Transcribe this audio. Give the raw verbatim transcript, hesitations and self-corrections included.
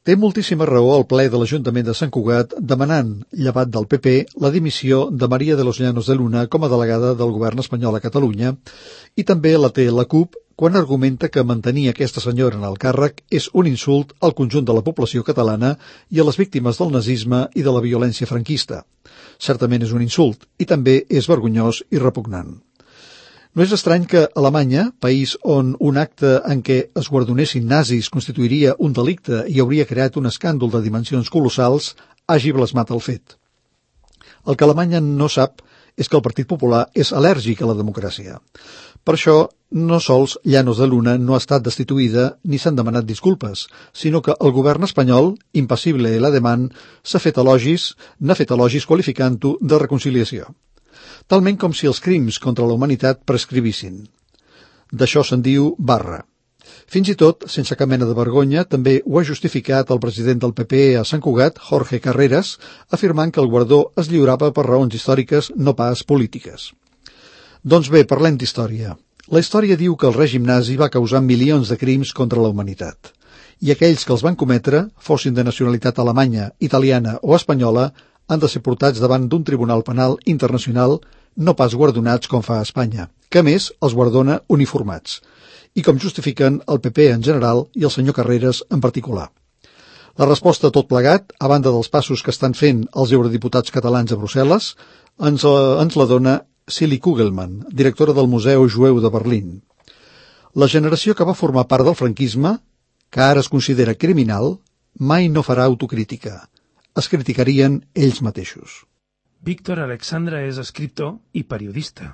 Té moltíssima raó el ple de l'Ajuntament de Sant Cugat demanant, llevat del P P, la dimissió de María de los Llanos de Luna com a delegada del govern espanyol a Catalunya, i també la té la CUP quan argumenta que mantenir aquesta senyora en el càrrec és un insult al conjunt de la població catalana i a les víctimes del nazisme i de la violència franquista. Certament és un insult, i també és vergonyós i repugnant. No és estrany que Alemanya, país on un acte en què es guardonessin nazis constituiria un delicte i hauria creat un escàndol de dimensions colossals, hagi blasmat el fet. El que Alemanya no sap és que el Partit Popular és al·lèrgic a la democràcia. Per això, no sols Llanos de Luna no ha estat destituïda ni s'han demanat disculpes, sinó que el govern espanyol, impassible i l'ademant, s'ha fet elogis, n'ha fet elogis qualificant-ho de reconciliació. Talment com si els crims contra la humanitat prescrivissin. D'això se'n diu barra. Fins i tot, sense cap mena de vergonya, també ho ha justificat el president del P P a Sant Cugat, Jorge Carreras, afirmant que el guardó es lliurava per raons històriques, no pas polítiques. Doncs bé, parlem d'història. La història diu que el règim nazi va causar milions de crims contra la humanitat. I aquells que els van cometre, fossin de nacionalitat alemanya, italiana o espanyola, han de ser portats davant d'un tribunal penal internacional, no pas guardonats com fa a Espanya, que a més els guardona uniformats, i com justifiquen el P P en general i el senyor Carreras en particular. La resposta a tot plegat, a banda dels passos que estan fent els eurodiputats catalans a Brussel·les, ens, uh, ens la dona Silly Kugelman, directora del Museu Jueu de Berlín. La generació que va formar part del franquisme, que ara es considera criminal, mai no farà autocrítica. Es criticarien ells mateixos. Víctor Alexandra és escriptor i periodista.